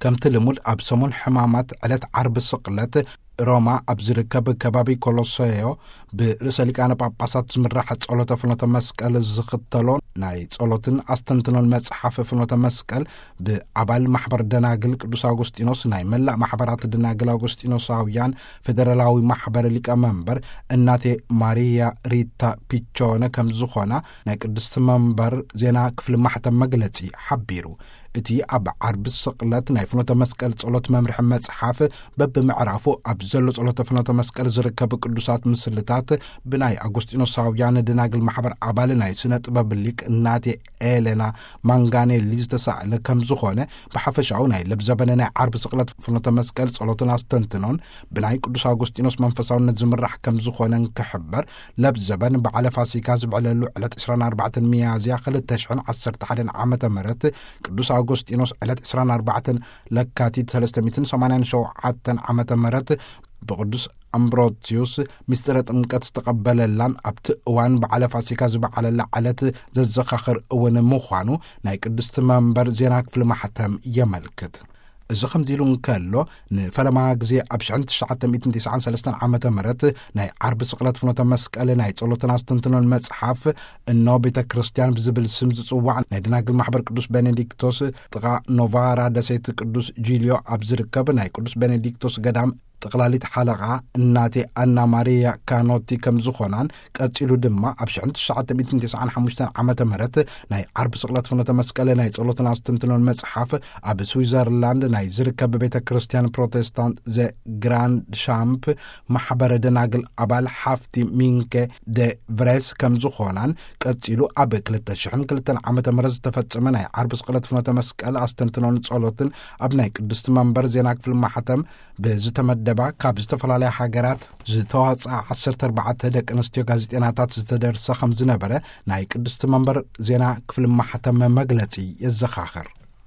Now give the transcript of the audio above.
ከምቲ ልሙድ ኣብ ሰሙን ሕማማት ዕለት ዓርቢ ስቕለት ሮማ ኣብ ዝርከብ ከባቢ ኮሎሰዮ ብርእሰ ሊቃነ ጳጳሳት ዝምራሕ ጸሎተ ፍኖተ መስቀል ዝኽተሎ ናይ ጸሎትን ኣስተንትኖን መጽሓፍ ፍኖተ መስቀል ብኣባል ማሕበር ደናግል ቅዱስ ኣውጉስጢኖስ ናይ መላእ ማሕበራት ደናግል ኣውጉስጢኖሳውያን ፌደራላዊ ማሕበር ሊቀ መንበር እናቴ ማሪያ ሪታ ፒቾነ ከም ዝኾና ናይ ቅድስቲ መንበር ዜና ክፍሊ ማሕተም መግለጺ ሓቢሩ። እቲ ኣብ ዓርቢ ስቕለት ናይ ፍኖተ መስቀል ጸሎት መምርሒ መጽሓፍ በብምዕራፉ ኣብ ዘሎ ጸሎተ ፍኖተ መስቀል ዝርከብ ቅዱሳት ምስልታት ብናይ ኣጎስጢኖሳውያን ደናግል ማሕበር ኣባል ናይ ስነ ጥበብ ሊቅ እናቴ ኤሌና ማንጋኔሊ ዝተሳእለ ከም ዝኾነ፣ ብሓፈሻዊ ናይ ለብዘበነ ናይ ዓርቢ ስቕለት ፍኖተ መስቀል ጸሎትን ኣስተንትኖን ብናይ ቅዱስ ኣጎስጢኖስ መንፈሳውነት ዝምራሕ ከም ዝኾነ እንክሕበር፣ ለብዘበን በዓለ ፋሲካ ዝብዕለሉ ዕለት ዕስራን ኣርባዕተን ሚያዝያ ክልተ ሽሕን ዓሰርተ ሓደን ዓመተ ምህረት፣ ቅዱስ ኣጎስጢኖስ ዕለት ዕስራን ኣርባዕተን ለካቲት ሰለስተ ሚእትን ሰማንያን ሸውዓተን ዓመተ ምህረት ብቅዱስ ኣምብሮስዮስ ምስጢረ ጥምቀት ዝተቐበለላን ኣብቲ እዋን በዓለ ፋሲካ ዝበዓለላ ዕለት ዘዘኻኽር እውን ምዃኑ ናይ ቅድስቲ መንበር ዜና ክፍሊ ማሕተም የመልክት። እዚ ከምዚ ኢሉ እንከሎ፣ ንፈለማ ግዜ ኣብ ሽሕን ትሽዓተ ሚእትን ተስዓን ሰለስተን ዓመተ ምህረት ናይ ዓርቢ ስቕለት ፍኖተ መስቀል ናይ ጸሎትን ኣስተንትኖን መጽሓፍ እኖ ቤተ ክርስቲያን ብዝብል ስም ዝጽዋዕ ናይ ደናግል ማሕበር ቅዱስ ቤኔዲክቶስ ጥቓ ኖቫራ ደሴት ቅዱስ ጂልዮ ኣብ ዝርከብ ናይ ቅዱስ ቤኔዲክቶስ ገዳም ጠቕላሊት ሓለቓ እናቴ ኣና ማሪያ ካኖቲ ከም ዝኾናን፣ ቀጺሉ ድማ ኣብ ሽሕን ትሽዓተ ሚእትን ተስዓን ሓሙሽተን ዓመተ ምህረት ናይ ዓርቢ ስቕለት ፍኖተ መስቀል ናይ ጸሎትን ኣስተንትኖን መጽሓፍ ኣብ ስዊዘርላንድ ናይ ዝርከብ ቤተ ክርስቲያን ፕሮቴስታንት ዘ ግራንድ ሻምፕ ማሕበረ ደናግል ኣባል ሓፍቲ ሚንከ ደ ቭሬስ ከም ዝኾናን፣ ቀጺሉ ኣብ ክልተ ሽሕን ክልተን ዓመተ ምህረት ዝተፈጸመ ናይ ዓርቢ ስቕለት ፍኖተ መስቀል ኣስተንትኖን ጸሎትን ኣብ ናይ ቅድስቲ መንበር ዜና ክፍሊ ማሕተም ብዝተመደባ ካብ ዝተፈላለያ ሃገራት ዝተዋጽኣ ዓሰርተ ኣርባዕተ ደቂ ኣንስትዮ ጋዜጠናታት ዝተደርሰ ከም ዝነበረ ናይ ቅድስቲ መንበር ዜና ክፍሊ ማሕተም መግለጺ የዘኻኽር።